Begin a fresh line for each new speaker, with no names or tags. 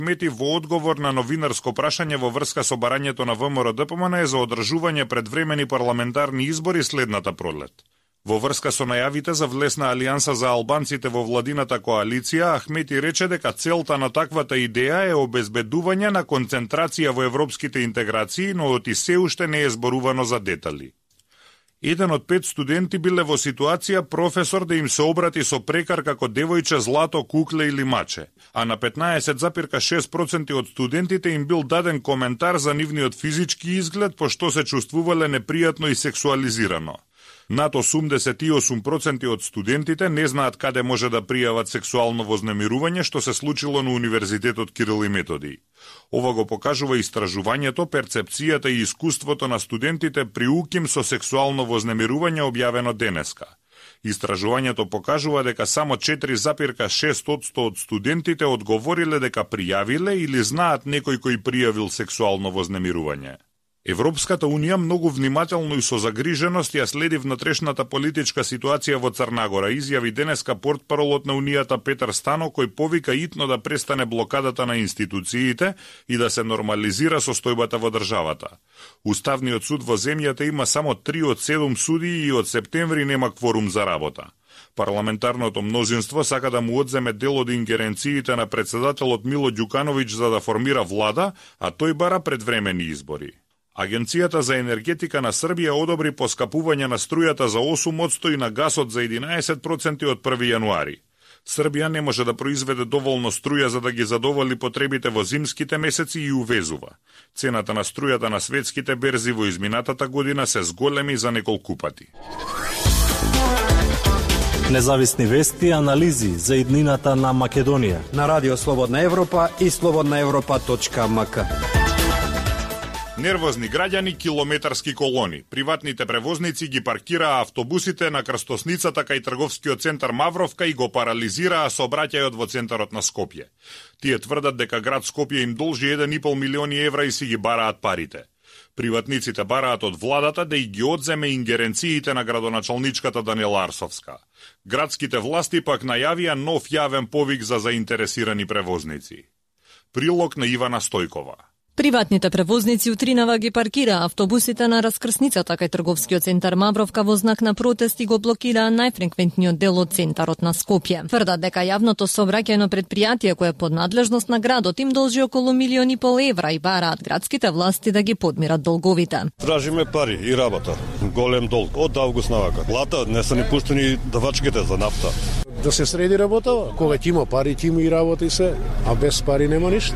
Ахмети во одговор на новинарско прашање во врска со барањето на ВМРО-ДПМН за одржување предвремени парламентарни избори следната пролет. Во врска со најавите за влесна алијанса за албанците во владината коалиција, Ахмети рече дека целта на таквата идеја е обезбедување на концентрација во европските интеграции, но оти се уште не е зборувано за детали. Еден од 5 студенти биле во ситуација професор да им се обрати со прекар како девојче, злато, кукле или маче, а на 15,6% од студентите им бил даден коментар за нивниот физички изглед, пошто се чувствувале непријатно и сексуализирано. Над 88% од студентите не знаат каде може да пријават сексуално вознемирување, што се случило на Универзитетот Кирил и Методиј. Ова го покажува истражувањето, перцепцијата и искуството на студентите при УКИМ со сексуално вознемирување објавено денеска. Истражувањето покажува дека само 4,6% од студентите одговориле дека пријавиле или знаат некој кој пријавил сексуално вознемирување. Европската Унија многу внимателно и со загриженост ја следи внатрешната политичка ситуација во Црна Гора, изјави денеска портпаролот на Унијата Петар Стано, кој повика итно да престане блокадата на институциите и да се нормализира состојбата во државата. Уставниот суд во земјата има само 3 од 7 судии и од септември нема кворум за работа. Парламентарното мнозинство сака да му одземе дел од ингеренциите на председателот Мило Ѓукановиќ за да формира влада, а тој бара предвремени избори. Агенцијата за енергетика на Србија одобри поскапување на струјата за 8% и на гасот за 11% од 1 јануари. Србија не може да произведе доволно струја за да ги задоволи потребите во зимските месеци и увезува. Цената на струјата на светските берзи во изминатата година се зголеми за неколку пати.
Независни вести и анализи за иднината на Македонија
на Радио Слободна Европа и slobodnaevropa.mk.
Нервозни граѓани, километарски колони. Приватните превозници ги паркираа автобусите на крстосницата кај трговскиот центар Мавровка и го парализираа сообраќајот во центарот на Скопје. Тие тврдат дека град Скопје им должи 1,5 милиони евра и си ги бараат парите. Приватниците бараат од владата да и ги одземе ингеренциите на градоначалничката Даниела Арсовска. Градските власти пак најавија нов јавен повик за заинтересирани превозници. Прилог на Ивана Стојкова.
Приватните превозници утринава ги паркираа автобусите на раскрсницата кај трговскиот центар Мавровка во знак на протест и го блокираа најфреквентниот дел од центарот на Скопје. Тврдат дека јавното сообраќајно предпријатие кое е под надлежност на градот им должи околу 1,5 милиони евра и бараат градските власти да ги подмират долговите.
Тражиме пари и работа. Голем долг од август навака. Лата не се ни пуштени давачките за нафта.
Да се среди работа, кога ќе има пари, ќе има и работа и се, а без пари нема ништо.